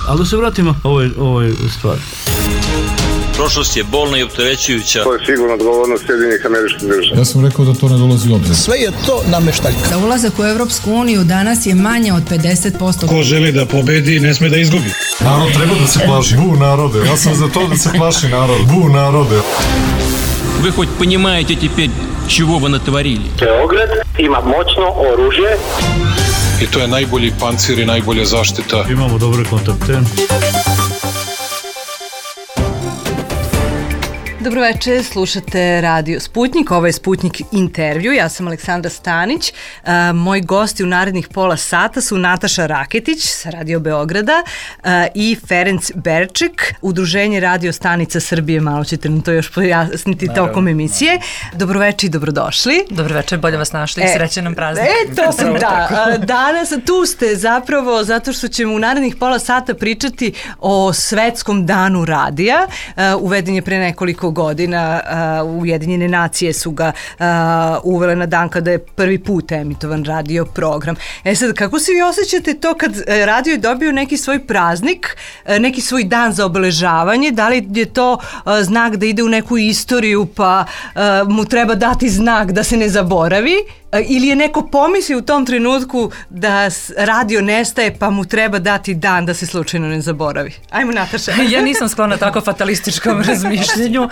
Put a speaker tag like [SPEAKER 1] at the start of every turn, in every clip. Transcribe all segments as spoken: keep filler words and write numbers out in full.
[SPEAKER 1] Ali da se vratimo ovoj, ovoj stvari.
[SPEAKER 2] Prošlost je bolna i opterećujuća.
[SPEAKER 3] To je sigurno odgovornost Sjedinjenih Američkih Država.
[SPEAKER 4] Ja sam rekao da to ne dolazi u obzir.
[SPEAKER 5] Sve je to nameštaljka.
[SPEAKER 6] Za ulazak u Evropsku uniju danas je manje od pedeset posto.
[SPEAKER 7] Ko želi da pobedi, ne sme da izgubi.
[SPEAKER 4] Narod treba da se plaši. Bu narode. Ja sam za to da se plaši narod. Bu narode.
[SPEAKER 8] Вы хоть понимаете теперь, чего вы натворили?
[SPEAKER 3] Beograd ima moćno oružje.
[SPEAKER 7] I to je najbolji pancir i najbolja zaštita.
[SPEAKER 1] Imamo dobre kontakte.
[SPEAKER 9] Dobroveče, slušate Radio Sputnik, ovo je Sputnik intervju, ja sam Aleksandra Stanić, uh, moji gosti u narednih pola sata su Nataša Raketić sa Radio Beograda uh, i Ferenc Berček, Udruženje Radio Stanica Srbije, malo ćete nam to još pojasniti tokom emisije. Dobroveče i dobrodošli.
[SPEAKER 10] Dobroveče, bolje vas našli, e, srećan nam praznik.
[SPEAKER 9] E, to sam, da. Uh, danas tu ste zapravo zato što ćemo u narednih pola sata pričati o Svetskom danu radija, uh, uveden je pre nekoliko godina, uh, Ujedinjene nacije su ga uh, uvele na dan kada je prvi put emitovan radio program. E sad, kako se vi osjećate to kad uh, radio je dobio neki svoj praznik, uh, neki svoj dan za obeležavanje, da li je to uh, znak da ide u neku istoriju pa uh, mu treba dati znak da se ne zaboravi? Ili je neko pomisli u tom trenutku da radio nestaje pa mu treba dati dan da se slučajno ne zaboravi? Ajmo, Nataša.
[SPEAKER 10] Ja nisam sklona tako fatalističkom razmišljenju. Uh,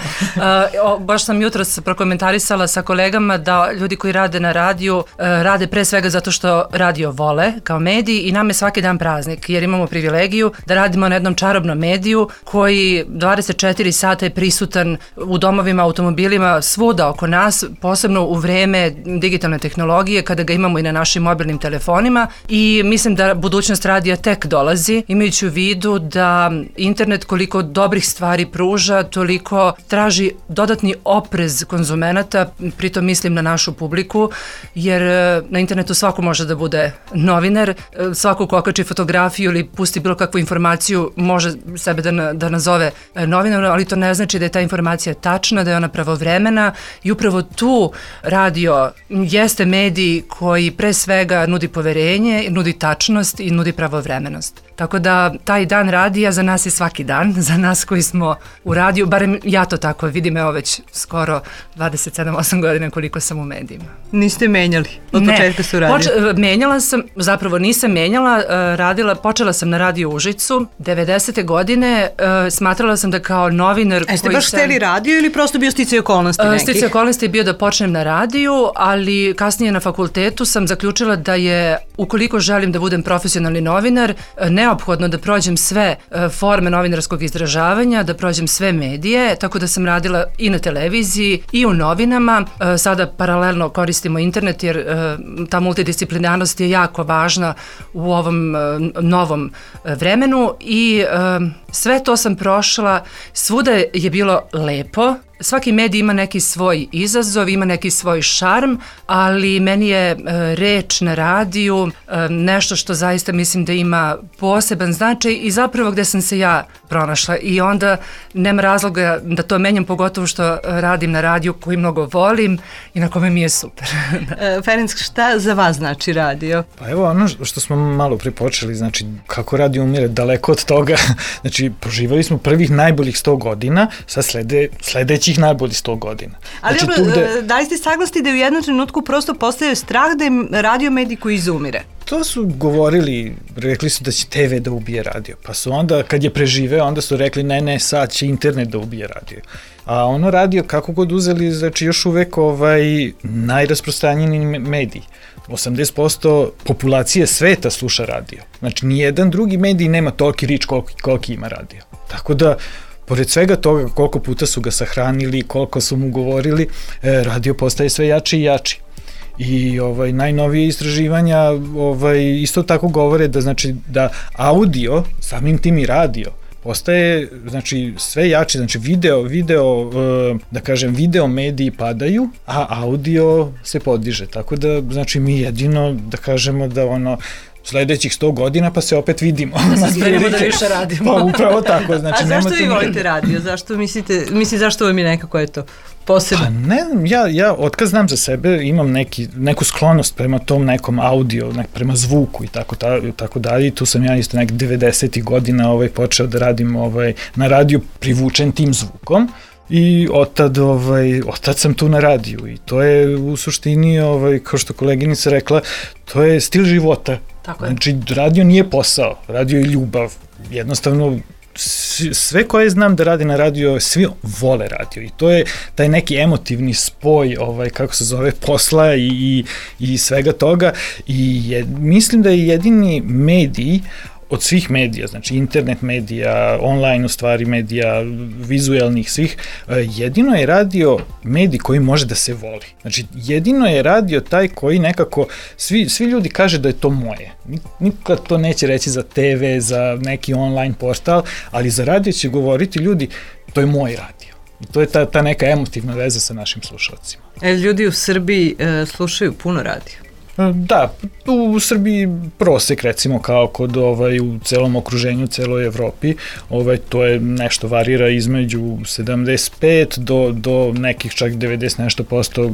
[SPEAKER 10] o, baš sam jutros prokomentarisala sa kolegama da ljudi koji rade na radiju uh, rade pre svega zato što radio vole kao medij i nam je svaki dan praznik jer imamo privilegiju da radimo na jednom čarobnom mediju koji dvadeset četiri sata je prisutan u domovima, automobilima, svuda oko nas, posebno u vreme digitalne tehnologije tehnologije, kada ga imamo i na našim mobilnim telefonima i mislim da budućnost radija tek dolazi, imajući u vidu da internet koliko dobrih stvari pruža, toliko traži dodatni oprez konzumenata, pritom mislim na našu publiku, jer na internetu svako može da bude novinar, svako ko okači fotografiju ili pusti bilo kakvu informaciju može sebe da, da nazove novinarom, ali to ne znači da je ta informacija tačna, da je ona pravovremena i upravo tu radio jeste medij koji pre svega nudi poverenje, nudi tačnost i nudi pravovremenost. Tako da taj dan radija za nas je svaki dan, za nas koji smo u radiju, barem ja to tako vidim, evo već skoro dvadeset sedam osam godina koliko sam u medijima.
[SPEAKER 9] Niste menjali od
[SPEAKER 10] ne,
[SPEAKER 9] početka su radiju?
[SPEAKER 10] Poč- menjala sam, zapravo nisam menjala, radila, počela sam na radiju Užicu, devedesete godine, smatrala sam da kao novinar...
[SPEAKER 9] A ste baš sam... hteli radio ili prosto bio sticaj okolnosti nekih?
[SPEAKER 10] Sticaj okolnosti je bio da počnem na radiju, ali kasnije na fakultetu sam zaključila da je, ukoliko želim da budem profesionalni novinar, neophodno da prođem sve forme novinarskog izražavanja, da prođem sve medije, tako da sam radila i na televiziji i u novinama. Sada paralelno koristimo internet jer ta multidisciplinarnost je jako važna u ovom novom vremenu i sve to sam prošla, svuda je bilo lepo. Svaki medij ima neki svoj izazov, ima neki svoj šarm, ali meni je e, reč na radiju e, nešto što zaista mislim da ima poseban značaj i zapravo gde sam se ja pronašla i onda nema razloga da to menjam, pogotovo što radim na radiju koji mnogo volim i na kome mi je super.
[SPEAKER 9] e, Ferenc, šta za vas znači radio?
[SPEAKER 5] Pa evo ono što smo malo pripočeli, znači kako radio umire daleko od toga, znači proživali smo prvih najboljih sto godina, sad slede, sledeći najbolji sto godina.
[SPEAKER 9] Ali znači, dobro, gde... da li ste saglasni da u jednom trenutku prosto postaje strah da je radio medij koji izumire?
[SPEAKER 5] To su govorili, rekli su da će te ve da ubije radio, pa su onda, kad je preživeo, onda su rekli ne, ne, sad će internet da ubije radio. A ono radio, kako god uzeli, znači još uvek ovaj, najrasprostranjeniji medij. osamdeset posto populacije sveta sluša radio. Znači, nijedan drugi medij nema toliki rič koliki, koliki ima radio. Tako da, pored svega toga koliko puta su ga sahranili, koliko su mu govorili, radio postaje sve jači i jači. I ovaj najnovije istraživanja ovaj isto tako govore da znači da audio, samim tim i radio, postaje znači sve jači, znači video, video da kažem video mediji padaju, a audio se podiže. Tako da znači mi jedino da kažemo da ono sledećih sto godina pa se opet vidimo.
[SPEAKER 10] Da se spremimo da više radimo.
[SPEAKER 5] Pa upravo tako. Znači,
[SPEAKER 9] a zašto vi
[SPEAKER 5] nema
[SPEAKER 9] volite radio? Zašto mislite, mislim zašto vam je nekako eto posebno?
[SPEAKER 5] Pa ne znam, ja, ja otkad znam za sebe imam neki, neku sklonost prema tom nekom audio, nek, prema zvuku i tako, ta, tako dalje. I tu sam ja isto nek devedesetih godina ovaj, počeo da radim ovaj, na radiju privučen tim zvukom. I otad, ovaj, otad sam tu na radiju i to je u suštini, ovaj, kao što koleginica rekla, to je stil života.
[SPEAKER 10] Tako je.
[SPEAKER 5] Znači, radio nije posao, radio je ljubav. Jednostavno, sve koje znam da radi na radio, svi vole radio i to je taj neki emotivni spoj, ovaj, kako se zove, posla i, i, i svega toga i je, mislim da je jedini medij od svih medija, znači internet medija, online u stvari medija, vizuelnih svih, jedino je radio medij koji može da se voli. Znači jedino je radio taj koji nekako, svi, svi ljudi kaže da je to moje. Nikad to neće reći za te ve, za neki online portal, ali za radio će govoriti ljudi, to je moj radio. I to je ta, ta neka emotivna veza sa našim slušalcima.
[SPEAKER 9] E, ljudi u Srbiji e, slušaju puno radio.
[SPEAKER 5] Da, u Srbiji prosek recimo kao kod ovaj, u celom okruženju, celoj Evropi, ovaj, to je nešto varira između sedamdeset pet do, do nekih čak devedeset nešto posto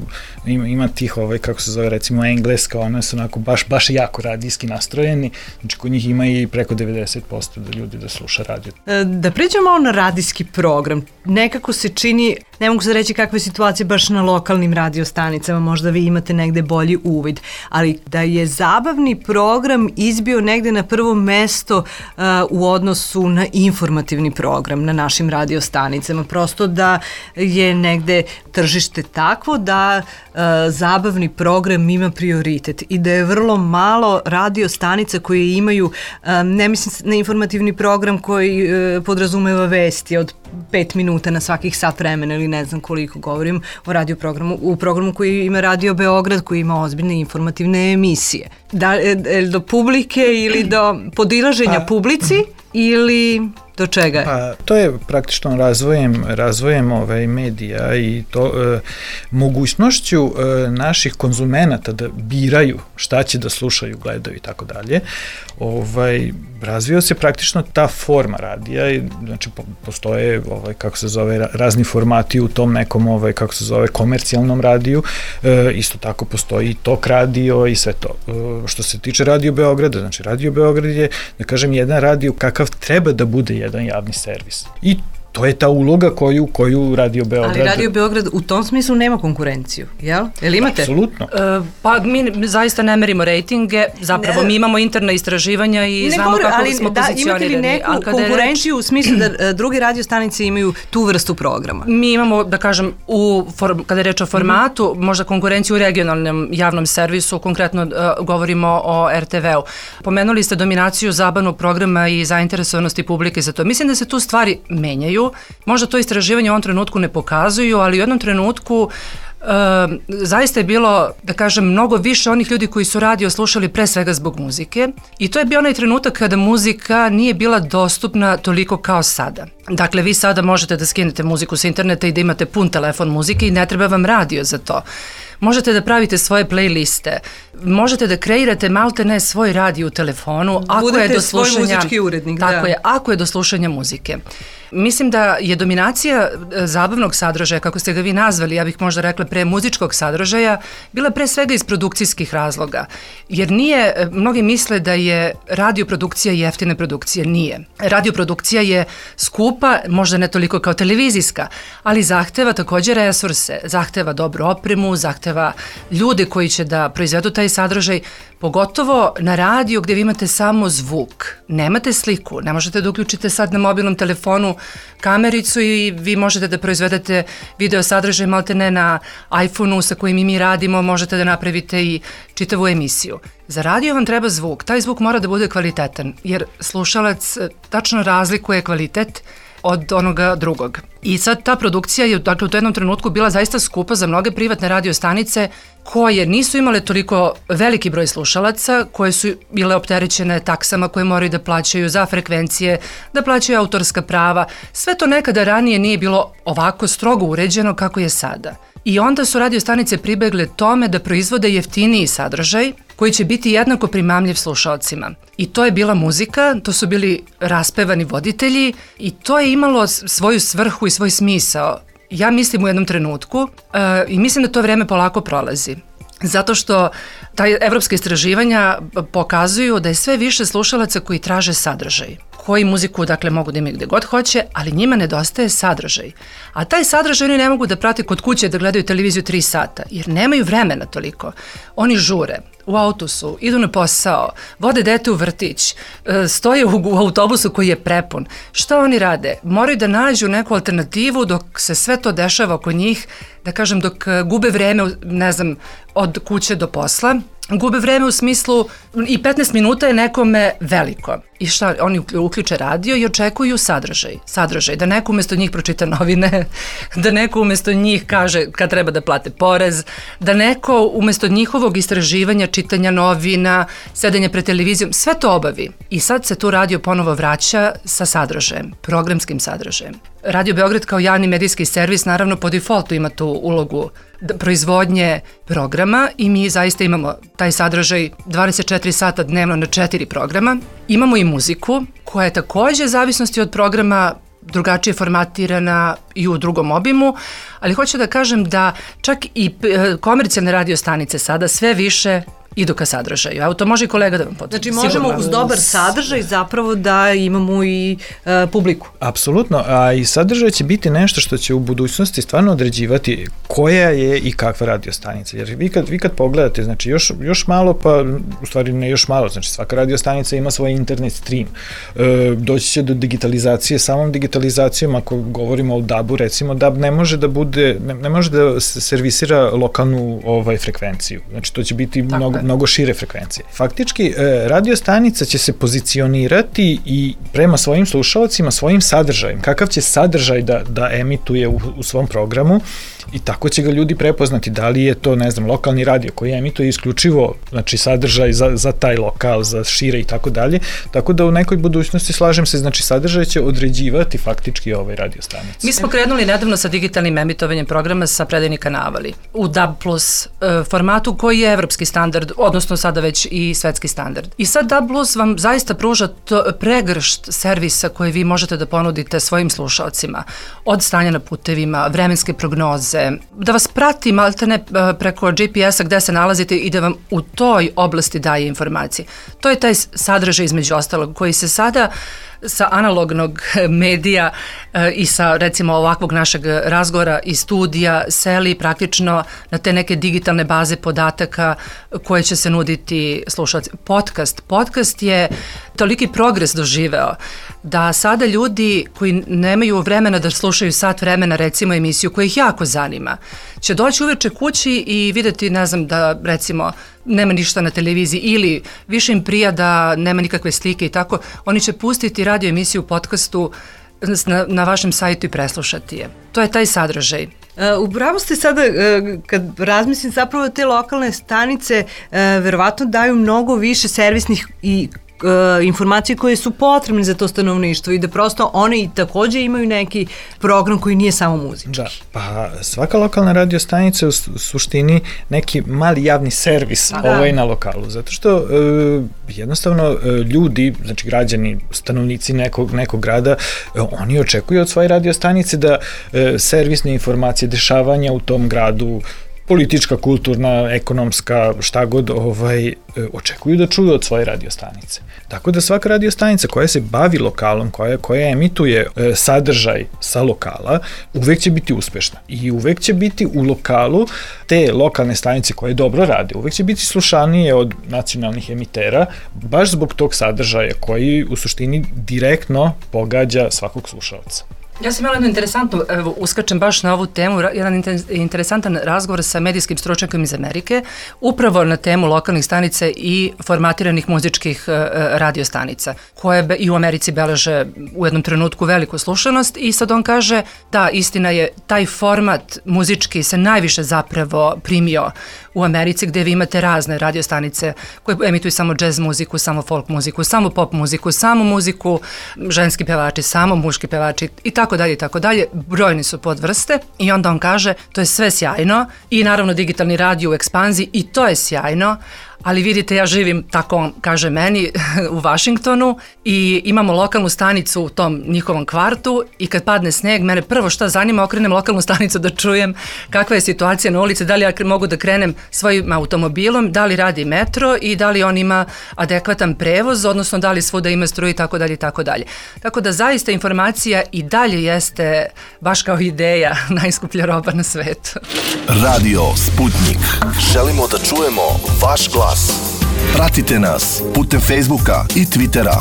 [SPEAKER 5] ima, ima tih, ovaj, kako se zove recimo engleska, one su onako baš, baš jako radijski nastrojeni, znači kod njih ima i preko devedeset posto da ljudi da sluša radio.
[SPEAKER 9] Da pređemo malo na radijski program, nekako se čini, ne mogu se reći kakve situacije baš na lokalnim radiostanicama, možda vi imate negde bolji uvid, ali da je zabavni program izbio negde na prvo mesto uh, u odnosu na informativni program na našim radiostanicama. Prosto da je negde tržište takvo da uh, zabavni program ima prioritet i da je vrlo malo radiostanica koje imaju, um, ne mislim na informativni program koji uh, podrazumeva vesti od pet minuta na svakih sat vremena ili ne znam koliko, govorim o radio programu, u programu koji ima Radio Beograd, koji ima ozbiljne informativne emisije. Da, do publike ili do podilaženja pa, publici ili do čega je?
[SPEAKER 5] Pa, to je praktično razvojem, razvojem ovaj, medija i to e, mogućnošću e, naših konzumenata da biraju šta će da slušaju, gledaju i tako dalje. Ovaj, razvio se praktično ta forma radija i znači po, postoje ovaj, kako se zove razni formati u tom nekom ovaj, kako se zove komercijalnom radiju, e, isto tako postoji i tok radio i sve to. E, što se tiče Radio Beograda, znači Radio Beograd je, da kažem, jedan radio kakav treba da bude jedan javni servis. I to je ta uloga koju, koju Radio Beograd...
[SPEAKER 9] Ali Radio Beograd u tom smislu nema konkurenciju, jel? Jel imate?
[SPEAKER 5] Apsolutno.
[SPEAKER 10] E, pa mi zaista ne merimo rejtinge, zapravo ne, mi imamo interna istraživanja i znamo govor, kako smo da, pozicionirani.
[SPEAKER 9] Imate li neku konkurenciju reč, u smislu da druge radiostanice imaju tu vrstu programa?
[SPEAKER 10] Mi imamo, da kažem, u form, kada je reč o formatu, mm. možda konkurenciju u regionalnom javnom servisu, konkretno uh, govorimo o er te ve-u. Pomenuli ste dominaciju zabavnog programa i zainteresovanosti publike za to. Mislim da se tu stvari menjaju. Možda to istraživanje u ovom trenutku ne pokazuju, ali u jednom trenutku e, zaista je bilo, da kažem, mnogo više onih ljudi koji su radio slušali pre svega zbog muzike i to je bio onaj trenutak kada muzika nije bila dostupna toliko kao sada. Dakle, vi sada možete da skinete muziku sa interneta i da imate pun telefon muzike i ne treba vam radio za to. Možete da pravite svoje playliste, možete da kreirate malte ne svoj radio u telefonu, ako
[SPEAKER 9] budete
[SPEAKER 10] je do slušanja,
[SPEAKER 9] svoj muzički urednik,
[SPEAKER 10] tako
[SPEAKER 9] da.
[SPEAKER 10] je, ako je do slušanja muzike. Mislim da je dominacija zabavnog sadržaja, kako ste ga vi nazvali, ja bih možda rekla pre muzičkog sadržaja, bila pre svega iz produkcijskih razloga. Jer nije, mnogi misle da je radioprodukcija jeftina produkcija, nije. Radioprodukcija je skupa, možda ne toliko kao televizijska, ali zahteva također resurse, zahteva dobru opremu, zahteva ljude koji će da proizvedu taj sadržaj, pogotovo na radiju gdje vi imate samo zvuk, nemate sliku, ne možete da uključite sad na mobilnom telefonu kamericu i vi možete da proizvedete video sadržaj malte ne na iPhoneu sa kojim i mi radimo, možete da napravite i čitavu emisiju. Za radio vam treba zvuk, taj zvuk mora da bude kvalitetan, jer slušalac tačno razlikuje kvalitet od onoga drugog. I sad ta produkcija je dakle, u jednom trenutku bila zaista skupa za mnoge privatne radiostanice koje nisu imale toliko veliki broj slušalaca, koje su bile opterećene taksama koje moraju da plaćaju za frekvencije, da plaćaju autorska prava. Sve to nekada ranije nije bilo ovako strogo uređeno kako je sada. I onda su radiostanice pribegle tome da proizvode jeftiniji sadržaj koji će biti jednako primamljiv slušalcima. I to je bila muzika, to su bili raspevani voditelji i to je imalo svoju svrhu i svoj smisao. Ja mislim u jednom trenutku uh, i mislim da to vreme polako prolazi. Zato što taj evropska istraživanja pokazuju da je sve više slušalaca koji traže sadržaj, koji muziku dakle mogu da imaju gde god hoće, ali njima nedostaje sadržaj. A taj sadržaj oni ne mogu da prate kod kuće da gledaju televiziju tri sata, jer nemaju vremena toliko. Oni žure, u autosu, idu na posao, vode dete u vrtić, stoje u autobusu koji je prepun. Šta oni rade? Moraju da nađu neku alternativu dok se sve to dešava oko njih, da kažem dok gube vreme, ne znam, od kuće do posla. Gube vreme u smislu i petnaest minuta je nekome veliko. I šta, oni uključe radio i očekuju sadržaj. Sadržaj, da neko umesto njih pročita novine, da neko umesto njih kaže kad treba da plate porez, da neko umesto njihovog istraživanja, čitanja novina, sedenja pred televizijom, sve to obavi. I sad se tu radio ponovo vraća sa sadržajem, programskim sadržajem. Radio Beograd kao javni medijski servis naravno po defaultu ima tu ulogu proizvodnje programa i mi zaista imamo taj sadržaj dvadeset četiri sata dnevno na četiri programa. Imamo i muziku koja je takođe zavisnosti od programa drugačije formatirana i u drugom obimu, ali hoću da kažem da čak i komercijalne radio stanice sada sve više idu ka sadržaju. Evo, to može i kolega da vam potvrdi.
[SPEAKER 9] Znači, možemo uz dobar sadržaj zapravo da imamo i e, publiku.
[SPEAKER 5] Apsolutno, a i sadržaj će biti nešto što će u budućnosti stvarno određivati koja je i kakva radio stanica. Jer vi kad, vi kad pogledate, znači još, još malo, pa u stvari ne još malo, znači svaka radio stanica ima svoj internet stream. E, doći će do digitalizacije, samom digitalizacijom, ako govorimo o dabu, recimo, dab ne može da bude, ne, ne može da servisira lokalnu ovaj, frekvenciju. Znači, to će biti Tako mnogo, mnogo šire frekvencije. Faktički, radio stanica će se pozicionirati i prema svojim slušalcima, svojim sadržajem, kakav će sadržaj da, da emituje u, u svom programu i tako će ga ljudi prepoznati da li je to, ne znam, lokalni radio koji emituje isključivo, znači, sadržaj za, za taj lokal, za šire i tako dalje, tako da u nekoj budućnosti, slažem se, znači, sadržaj će određivati faktički ovaj radio stanici.
[SPEAKER 10] Mi smo krenuli nedavno sa digitalnim emitovanjem programa sa predajnih kanavali u D A B plus e, formatu koji je evropski standard, odnosno sada već i svetski standard. I sad D A B plus vam zaista pruža to pregršt servisa koje vi možete da ponudite svojim slušalcima, od stanja na putevima, vremenske prognoze, da vas prati maltene preko G P S-a gde se nalazite i da vam u toj oblasti daje informacije. To je taj sadržaj između ostalog koji se sada sa analognog medija e, i sa recimo ovakvog našeg razgovora i studija seli praktično na te neke digitalne baze podataka koje će se nuditi slušalci. Podcast. Podcast je toliki progres doživeo da sada ljudi koji nemaju vremena da slušaju sat vremena recimo emisiju koja ih jako zanima, će doći uveče kući i videti, ne znam, da recimo nema ništa na televiziji ili više im prija da nema nikakve slike i tako, oni će pustiti radio emisiju u podcastu na, na vašem sajtu i preslušati je. To je taj sadržaj.
[SPEAKER 9] Uh, upravo ste sada, uh, kad razmislim, zapravo te lokalne stanice uh, verovatno daju mnogo više servisnih i informacije koje su potrebne za to stanovništvo i da prosto one i takođe imaju neki program koji nije samo muzički.
[SPEAKER 5] Da, pa svaka lokalna radio stanica je u suštini neki mali javni servis da. ovaj na lokalu, zato što e, jednostavno e, ljudi, znači građani, stanovnici nekog, nekog grada, e, oni očekuju od svoje radio stanice da e, servisne informacije, dešavanja u tom gradu, politička, kulturna, ekonomska, šta god, ovaj, očekuju da čuju od svoje radio stanice. Tako da svaka radio stanica koja se bavi lokalom, koja, koja emituje e, sadržaj sa lokala, uvek će biti uspešna. I uvek će biti u lokalu te lokalne stanice koje dobro rade, uvek će biti slušanije od nacionalnih emitera, baš zbog tog sadržaja koji u suštini direktno pogađa svakog slušalca.
[SPEAKER 10] Ja sam imala jednu interesantnu, evo, uskačem baš na ovu temu, jedan interesantan razgovor sa medijskim stručnjakom iz Amerike, upravo na temu lokalnih stanica i formatiranih muzičkih uh, radiostanica, koje be, i u Americi beleže u jednom trenutku veliku slušanost i sad on kaže da, istina je, taj format muzički se najviše zapravo primio u Americi, gde vi imate razne radiostanice koje emituju samo džez muziku, samo folk muziku, samo pop muziku, samo muziku, ženski pevači, samo muški pevači i tako dalje i tako dalje. Brojni su podvrste i onda on kaže to je sve sjajno i naravno digitalni radio u ekspanziji i to je sjajno, ali vidite, ja živim, tako on kaže meni, u Vašingtonu i imamo lokalnu stanicu u tom njihovom kvartu i kad padne sneg, mene prvo šta zanima, okrenem lokalnu stanicu da čujem kakva je situacija na ulici, da li ja mogu da krenem svojim automobilom, da li radi metro i da li on ima adekvatan prevoz, odnosno da li svuda ima struju i tako dalje i tako dalje. Tako da zaista informacija i dalje jeste baš kao ideja najskuplja roba na svetu.
[SPEAKER 11] Radio Sputnik. Želimo da čujemo vaš glas. Pratite nas putem Facebooka i Twittera.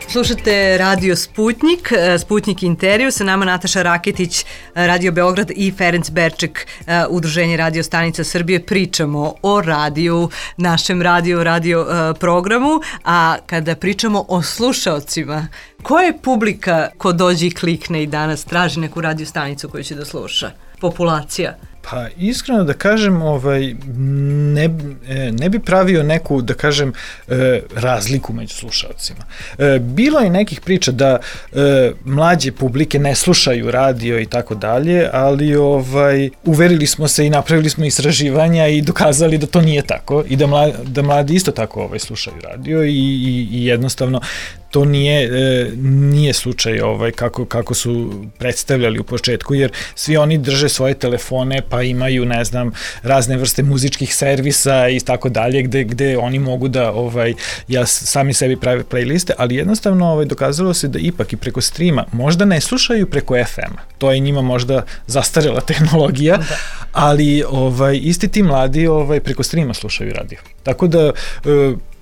[SPEAKER 9] Slušate Radio Sputnik, Sputnik intervju, sa nama Nataša Raketić, Radio Beograd i Ferenc Berček, Udruženje radio stanica Srbije. Pričamo o radiju, našem radio, radio programu, a kada pričamo o slušaocima, koja je publika ko dođe i klikne i danas traži neku radio stanicu koju će da sluša? Populacija?
[SPEAKER 5] Pa iskreno da kažem, ovaj, ne, ne bi pravio neku, da kažem, razliku među slušalcima. Bilo je nekih priča da mlađe publike ne slušaju radio i tako dalje, ali ovaj, uverili smo se i napravili smo istraživanja i dokazali da to nije tako i da mladi, da mladi isto tako ovaj, slušaju radio i, i, i jednostavno to nije, nije slučaj ovaj, kako, kako su predstavljali u početku, jer svi oni drže svoje telefone pa imaju, ne znam, razne vrste muzičkih servisa i tako dalje, gde, gde oni mogu da ovaj, ja sami sebi prave playliste, ali jednostavno ovaj, dokazalo se da ipak i preko streama možda ne slušaju preko F M-a. To je njima možda zastarela tehnologija, ali ovaj, isti ti mladi ovaj, preko streama slušaju radio. Tako da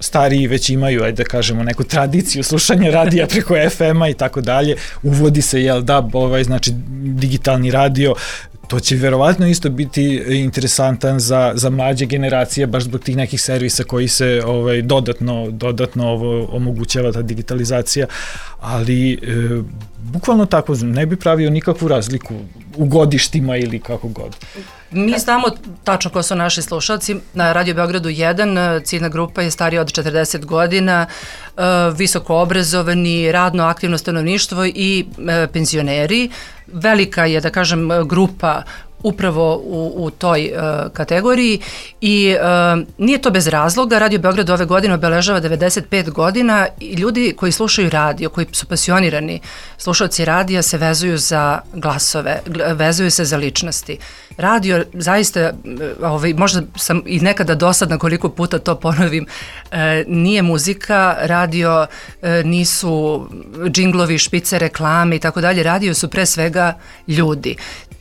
[SPEAKER 5] stariji već imaju, ajde da kažemo, neku tradiciju slušanja radija preko F M-a i tako dalje. Uvodi se, jel da, ovaj, znači digitalni radio. To će verovatno isto biti interesantan za, za mlađe generacije, baš zbog tih nekih servisa koji se ovaj, dodatno, dodatno ovo, omogućava ta digitalizacija, ali e, bukvalno tako, ne bi pravio nikakvu razliku u godištima ili kako god.
[SPEAKER 10] Mi znamo tačno ko su naši slušalci. Na Radio Beogradu jedan, ciljna grupa je starija od četrdeset godina, visoko obrazovani, radno aktivno stanovništvo i penzioneri. Velika je, da kažem, grupa upravo u, u toj uh, kategoriji i uh, nije to bez razloga. Radio Beograd ove godine obeležava devedeset pet godina i ljudi koji slušaju radio, koji su pasionirani slušalci radija, se vezuju za glasove, vezuju se za ličnosti. Radio zaista, ovaj, možda sam i nekada dosadna koliko puta to ponovim, e, nije muzika, radio e, nisu džinglovi, špice, reklame i tako dalje, radio su pre svega ljudi.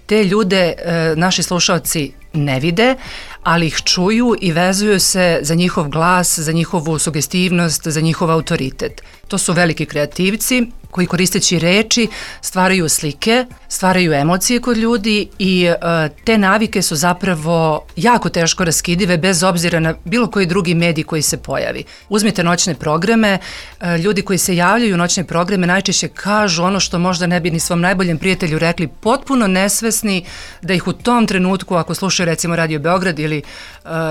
[SPEAKER 10] Te ljude e, naši slušalci ne vide, ali ih čuju i vezuju se za njihov glas, za njihovu sugestivnost, za njihov autoritet. To su veliki kreativci koji koristeći reči stvaraju slike, stvaraju emocije kod ljudi i e, te navike su zapravo jako teško raskidive bez obzira na bilo koji drugi medij koji se pojavi. Uzmite noćne programe, e, ljudi koji se javljaju u noćne programe najčešće kažu ono što možda ne bi ni svom najboljem prijatelju rekli, potpuno nesvesni da ih u tom trenutku, ako slušaju recimo Radio Beograd ili e,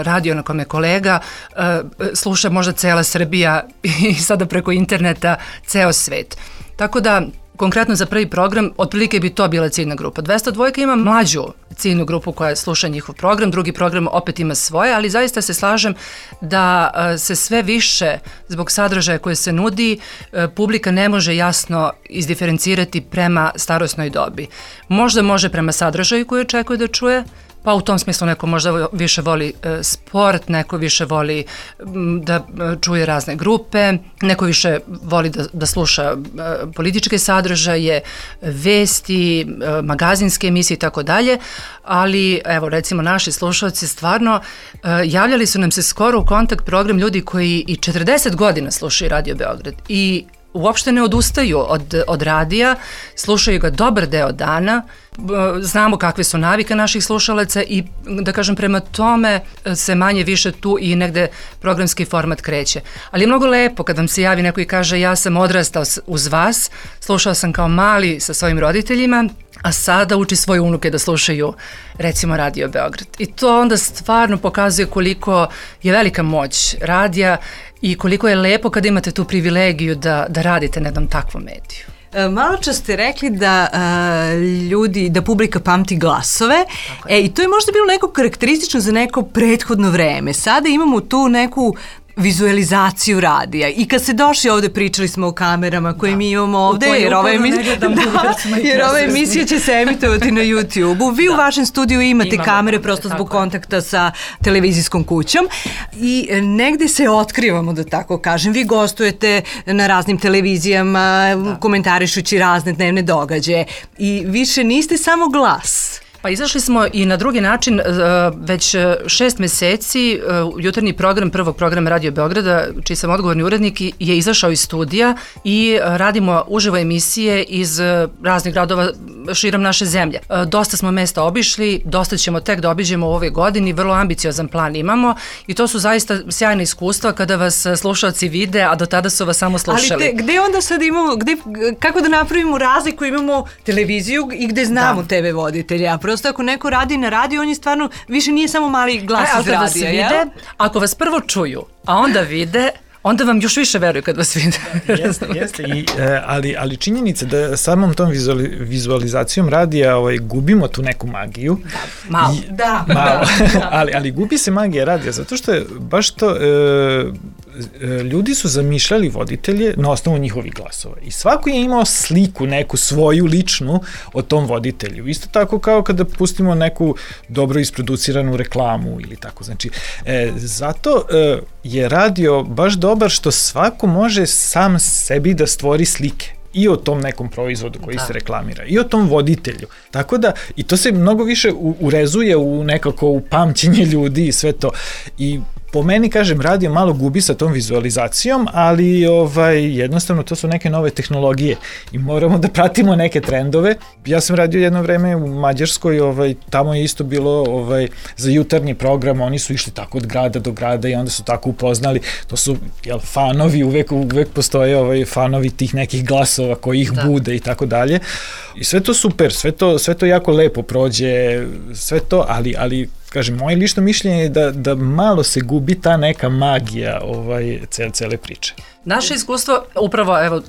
[SPEAKER 10] radio na kome kolega, e, sluša možda cela Srbija i sada preko interneta ceo svet. Tako da, konkretno za prvi program, otprilike bi to bila ciljna grupa. dvesta dva ima mlađu ciljnu grupu koja sluša njihov program, drugi program opet ima svoje, ali zaista se slažem da se sve više, zbog sadržaja koje se nudi, publika ne može jasno izdiferencirati prema starosnoj dobi. Možda može prema sadržaju koju očekuje da čuje, pa u tom smislu neko možda više voli e, sport, neko više voli m, da čuje razne grupe, neko više voli da, da sluša e, političke sadržaje, vesti, e, magazinske emisije i tako dalje, ali evo recimo naši slušalci stvarno e, javljali su nam se skoro u kontakt program ljudi koji i četrdeset godina slušaju Radio Beograd i uopšte ne odustaju od, od radija, slušaju ga dobar deo dana, znamo kakve su navike naših slušalaca i da kažem prema tome se manje više tu i negde programski format kreće. Ali je mnogo lepo kad vam se javi neko i kaže ja sam odrastao uz vas, slušao sam kao mali sa svojim roditeljima, a sada uči svoje unuke da slušaju recimo Radio Beograd. I to onda stvarno pokazuje koliko je velika moć radija i koliko je lepo kada imate tu privilegiju da, da radite na jednom takvom mediju.
[SPEAKER 9] Malo čas ste rekli da uh, ljudi, da publika pamti glasove, e, i to je možda bilo neko karakteristično za neko prethodno vreme. Sada imamo tu neku vizualizaciju radija. I kad ste došli ovde, pričali smo o kamerama koje da. mi imamo ovde, jer ova, emisija, da, jer ova emisija će se emitovati na YouTube-u. Vi da. u vašem studiju imate Imamo kamere kamere, prosto zbog kontakta sa televizijskom kućom i negde se otkrivamo, da tako kažem. Vi gostujete na raznim televizijama, da. komentarišući razne dnevne događaje i više niste samo glas.
[SPEAKER 10] Pa izašli smo i na drugi način, već šest meseci jutarnji program prvog programa Radio Beograda, čiji sam odgovorni urednik, je izašao iz studija i radimo uživo emisije iz raznih gradova širom naše zemlje. Dosta smo mesta obišli, dosta ćemo tek da obiđemo u ovoj godini, vrlo ambiciozan plan imamo i to su zaista sjajne iskustva kada vas slušalci vide, a do tada su vas samo slušali.
[SPEAKER 9] Ali te, gde onda sad imamo, gde, kako da napravimo razliku, imamo televiziju i gde znamo da. tebe voditelja, prosto ako neko radi na radiju, on je stvarno, više nije samo mali glas
[SPEAKER 10] e,
[SPEAKER 9] iz radija,
[SPEAKER 10] jel? Vide, ako vas prvo čuju, a onda vide, onda vam još više veruju kad vas vide.
[SPEAKER 5] Jeste, jeste. I, ali, ali činjenica da samom tom vizuali, vizualizacijom radija ovaj, gubimo tu neku magiju.
[SPEAKER 10] Da, malo.
[SPEAKER 5] I,
[SPEAKER 10] da,
[SPEAKER 5] malo.
[SPEAKER 10] da.
[SPEAKER 5] ali, ali gubi se magija radija, zato što je baš to... E, ljudi su zamišljali voditelje na osnovu njihovih glasova i svako je imao sliku neku svoju ličnu o tom voditelju. Isto tako kao kada pustimo neku dobro isproduciranu reklamu ili tako. Znači, e, zato e, je radio baš dobar što svako može sam sebi da stvori slike i o tom nekom proizvodu koji da. se reklamira, i o tom voditelju. Tako da, i to se mnogo više u, urezuje u nekako u pamćenje ljudi i sve to. I po meni, kažem, radio malo gubi sa tom vizualizacijom, ali ovaj, jednostavno to su neke nove tehnologije i moramo da pratimo neke trendove. Ja sam radio jedno vreme u Mađarskoj, ovaj, tamo je isto bilo ovaj, za jutarnji program, oni su išli tako od grada do grada i onda su tako upoznali, to su jel, fanovi, uvek, uvek postoje ovaj, fanovi tih nekih glasova koji ih da. bude i tako dalje. I sve to super, sve to, sve to jako lepo prođe, sve to, ali, ali kažem, moje lično mišljenje je da, da malo se gubi ta neka magija ovaj, cele, cele priče.
[SPEAKER 10] Naše iskustvo, upravo, evo,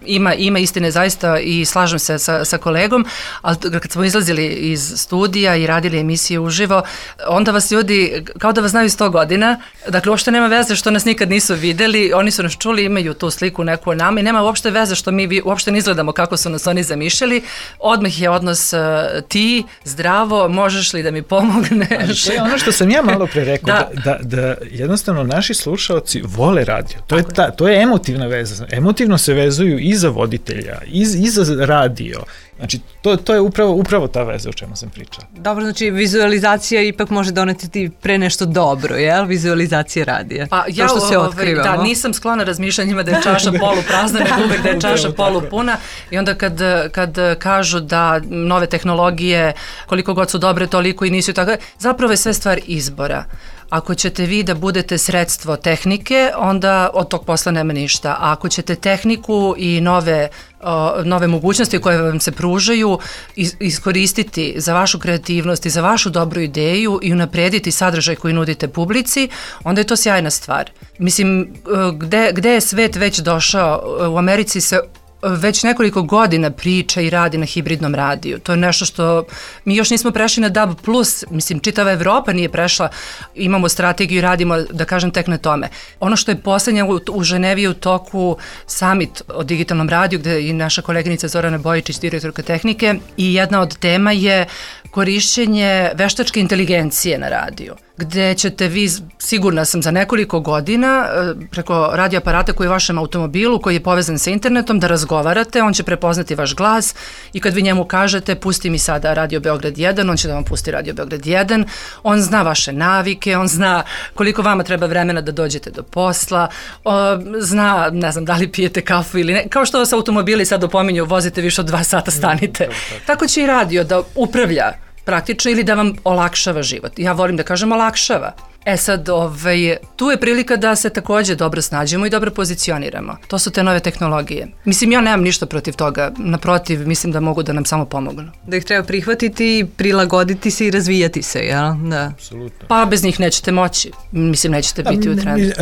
[SPEAKER 10] ima, ima istine zaista i slažem se sa, sa kolegom, ali kad smo izlazili iz studija i radili emisije uživo, onda vas ljudi, kao da vas znaju sto godina, dakle, uopšte nema veze što nas nikad nisu videli, oni su nas čuli, imaju tu sliku neku o nama i nema uopšte veze što mi uopšte ne izgledamo kako su nas oni zamišljali, odmah je odnos uh, ti, zdravo, možeš li da mi pomogneš? Ali
[SPEAKER 5] to je ono što sam ja malo pre rekao, da. Da, da, da jednostavno naši slušaoci vole radio, to je, ta, to je emotivna veza. Emotivno se vezuju i za voditelja, i, i za radio. Znači, to, to je upravo, upravo ta veza o čemu sam pričao.
[SPEAKER 9] Dobro, znači, vizualizacija ipak može doneti ti pre nešto dobro, jel? Vizualizacija radija.
[SPEAKER 10] Pa ja,
[SPEAKER 9] što se otkrivamo.
[SPEAKER 10] Da, nisam sklona razmišljanjima da je čaša poluprazna, nego uvek da je čaša polupuna. I onda kad, kad kažu da nove tehnologije, koliko god su dobre, toliko i nisu tako, zapravo je sve stvar izbora. Ako ćete vi da budete sredstvo tehnike, onda od tog posla nema ništa. A ako ćete tehniku i nove, o, nove mogućnosti koje vam se pružaju is, iskoristiti za vašu kreativnost i za vašu dobru ideju i unaprediti sadržaj koji nudite publici, onda je to sjajna stvar. Mislim, gde, gde je svet već došao? U Americi se već nekoliko godina priča i radi na hibridnom radiju. To je nešto što mi još nismo prešli na D A B plus, mislim, čitava Evropa nije prešla, imamo strategiju i radimo, da kažem, tek na tome. Ono što je poslednje u, u Ženevi u toku summit o digitalnom radiju, gde je i naša koleginica Zorana Bojičić, direktorka tehnike, i jedna od tema je korišćenje veštačke inteligencije na radiju, gde ćete vi, sigurna sam, za nekoliko godina preko radio aparata koji je u vašem automobilu, koji je povezan sa internetom, da razgovarate, on će prepoznati vaš glas i kad vi njemu kažete pusti mi sada Radio Beograd jedan, on će da vam pusti Radio Beograd jedan, on zna vaše navike, on zna koliko vama treba vremena da dođete do posla, o, zna, ne znam, da li pijete kafu ili ne, kao što vas automobili sad opominju, vozite više od dva sata, stanite. Tako će i radio da upravlja praktično ili da vam olakšava život. Ja volim da kažem olakšava. E sad, ovaj, tu je prilika da se takođe dobro snađemo i dobro pozicioniramo. To su te nove tehnologije. Mislim, ja nemam ništa protiv toga. Naprotiv, mislim da mogu da nam samo pomognu.
[SPEAKER 9] Da ih treba prihvatiti, prilagoditi se i razvijati se, jel? Da.
[SPEAKER 5] Apsolutno.
[SPEAKER 10] Pa bez njih nećete moći. Mislim, nećete biti u trendu.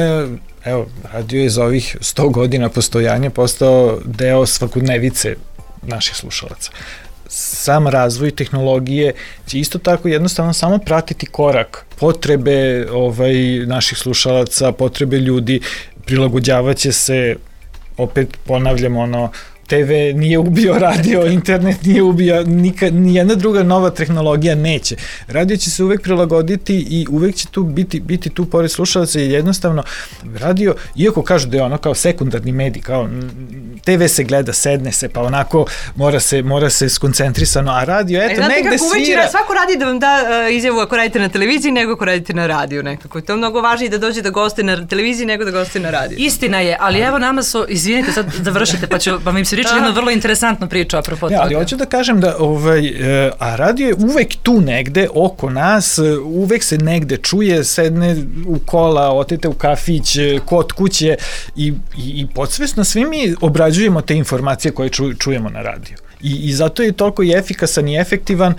[SPEAKER 5] Evo, radio je za ovih sto godina postojanja postao deo svakodnevice naših slušalaca. Sam razvoj tehnologije će isto tako jednostavno samo pratiti korak, potrebe ovaj, naših slušalaca, potrebe ljudi, prilagođavaće se, opet ponavljamo ono, te ve nije ubio radio, internet nije ubio, nikad, nijedna druga nova tehnologija neće. Radio će se uvek prilagoditi i uvek će tu biti, biti tu pored slušalaca i jednostavno radio, iako kažu da je ono kao sekundarni medij, kao te ve se gleda, sedne se, pa onako mora se, mora se skoncentrisano, a radio, eto, e, negde svira.
[SPEAKER 9] Svako radi da vam da uh, izjavu ako radite na televiziji nego ako radite na radiju nekako. To je mnogo važnije da dođe da goste na televiziji nego da goste na radiju.
[SPEAKER 10] Istina je, ali evo nama su, izvinite, sad završite, pa, ću, pa mi se priča jednu vrlo interesantnu priču apropo toga.
[SPEAKER 5] Ja, ali hoću da kažem da ovaj, a radio je uvek tu negde oko nas, uvek se negde čuje, sedne u kola, otete u kafić, kod kuće i, i, i podsvesno svi mi obrađujemo te informacije koje ču, čujemo na radiju. I, I zato je toliko i efikasan i efektivan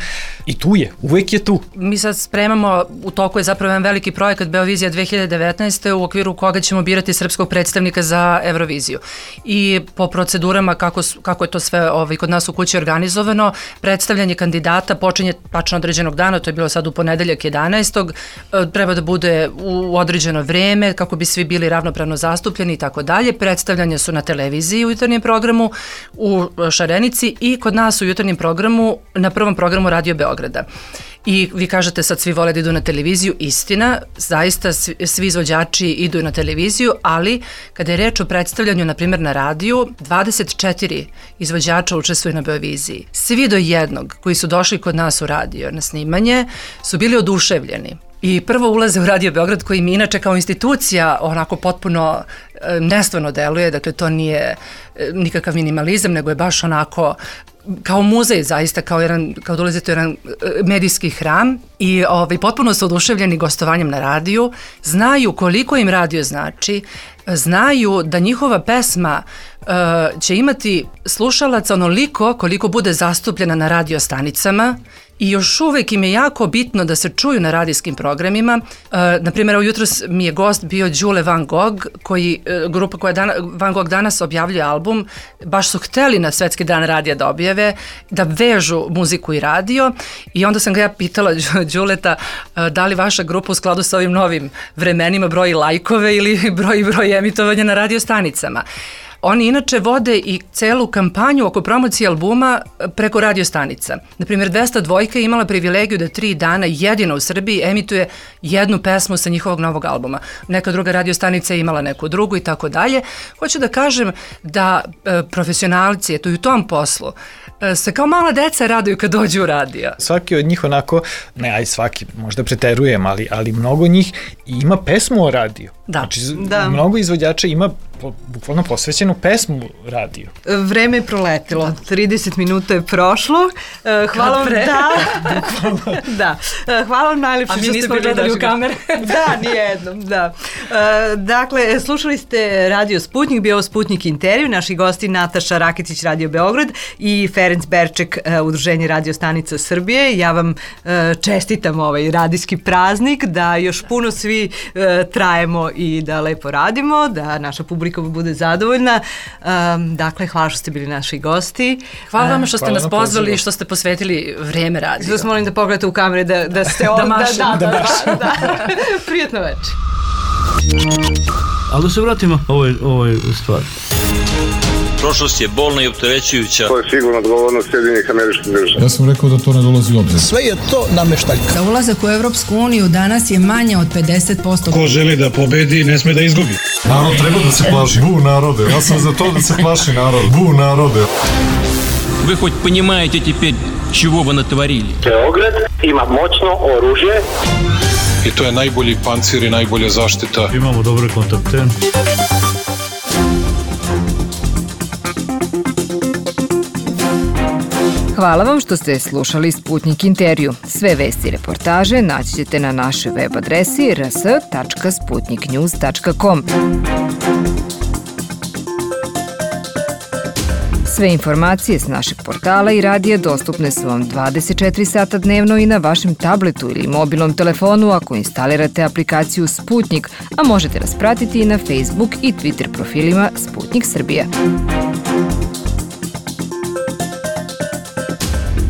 [SPEAKER 5] i tu je, uvek je tu.
[SPEAKER 10] Mi sad spremamo, u toku je zapravo jedan veliki projekat Beovizija dve hiljade devetnaeste u okviru koga ćemo birati srpskog predstavnika za Euroviziju. I po procedurama kako, kako je to sve ovaj, kod nas u kući organizovano, predstavljanje kandidata počinje tačno određenog dana, to je bilo sad u ponedeljak jedanaestog Treba da bude u određeno vreme kako bi svi bili ravnopravno zastupljeni i tako dalje. Predstavljanje su na televiziji u jutarnjem programu, u Šarenici i kod nas u jutarnjem programu, na prvom programu Radio Beograda. I vi kažete sad svi vole da idu na televiziju, istina, zaista svi, svi izvođači idu na televiziju, ali kada je reč o predstavljanju, na primjer na radiju, dvadeset četiri izvođača učestvuje na Beoviziji. Svi do jednog koji su došli kod nas u radio na snimanje su bili oduševljeni. I prvo ulaze u Radio Beograd koji mi inače kao institucija onako potpuno e, nestvarno deluje, dakle to nije e, nikakav minimalizam, nego je baš onako kao muzej zaista, kao, jedan, kao dolazite u jedan e, medijski hram i ovaj, potpuno su oduševljeni gostovanjem na radiju, znaju koliko im radio znači, znaju da njihova pesma e, će imati slušalaca onoliko koliko bude zastupljena na radio stanicama. I još uvek im je jako bitno da se čuju na radijskim programima. E, naprimjer, ujutros mi je gost bio Đule Van Gogh, koji, e, grupa koja dana, Van Gogh danas objavljuje album, baš su hteli na Svetski dan radija da objave, da vežu muziku i radio i onda sam ga ja pitala Đuleta e, da li vaša grupa u skladu sa ovim novim vremenima broji lajkove ili broji broj emitovanja na radio stanicama. Oni inače vode i celu kampanju oko promocije albuma preko radio stanica. Naprimjer, dvesta dva je imala privilegiju da tri dana jedino u Srbiji emituje jednu pesmu sa njihovog novog albuma. Neka druga radio stanica je imala neku drugu i tako dalje. Hoću da kažem da e, profesionalci, eto i u tom poslu, e, se kao mala deca raduju kad dođu u radio.
[SPEAKER 5] Svaki od njih onako, ne aj svaki, možda preterujem, ali, ali mnogo njih ima pesmu o radiju.
[SPEAKER 10] Da.
[SPEAKER 5] Znači,
[SPEAKER 9] da.
[SPEAKER 5] Mnogo izvođača ima po, bukvalno posvećenu pesmu radiju.
[SPEAKER 9] Vreme je proletilo, trideset minuta je prošlo. Hvala vam, da, da. Hvala vam najlepše što ste bili.
[SPEAKER 10] A mi nismo gledali u kamere.
[SPEAKER 9] Da, nijednom, da. Dakle, slušali ste Radio Sputnik, bio Sputnik intervju, naši gosti Nataša Raketić, Radio Beograd i Ferenc Berček, Udruženje Radio stanica Srbije. Ja vam čestitam ovaj radijski praznik, da još puno svi trajemo i da lepo radimo, da naša publika bude zadovoljna. Um, dakle, hvala što ste bili naši gosti.
[SPEAKER 10] Hvala vam što ste hvala nas pozvali i što ste posvetili vreme radiju.
[SPEAKER 9] Zato molim da pogledate u kamere da, da ste ovdje.
[SPEAKER 10] Da mašem.
[SPEAKER 9] Da, da, da, da, da. Prijetno večer.
[SPEAKER 1] Ali da se vratimo ovoj, ovoj stvari.
[SPEAKER 2] Prošlost je bolna i opterećujuća.
[SPEAKER 3] To je sigurno odgovornost Sjedinjenih Američkih Država.
[SPEAKER 4] Ja sam rekao da to ne dolazi u obzir.
[SPEAKER 12] Sve je to nameštaljka.
[SPEAKER 6] Za ulazak u Evropsku uniju danas je manje od pedeset posto.
[SPEAKER 13] Ko želi da pobedi, ne sme da izgubi.
[SPEAKER 4] Narod treba da se plaši. Bu narode. Ja sam za to da se plaši narod. Bu narode.
[SPEAKER 8] Вы хоть понимаете теперь, чего вы натворили?
[SPEAKER 3] Beograd ima moćno oružje.
[SPEAKER 7] I to je najbolji pancir i najbolja zaštita.
[SPEAKER 1] Imamo dobre kontakte.
[SPEAKER 14] Hvala vam što ste slušali Sputnik intervju. Sve vesti i reportaže naći ćete na našoj web adresi r s tačka sputnik news tačka com. Sve informacije s našeg portala i radija dostupne su vam dvadeset četiri sata dnevno i na vašem tabletu ili mobilnom telefonu ako instalirate aplikaciju Sputnik, a možete nas pratiti i na Facebook i Twitter profilima Sputnik Srbija.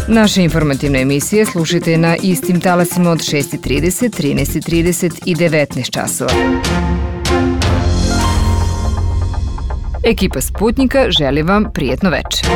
[SPEAKER 14] Naše informativne emisije slušajte na istim talasima od šest i trideset, trinaest i trideset i devetnaest časova. Ekipa Sputnika želi vam prijetno večer.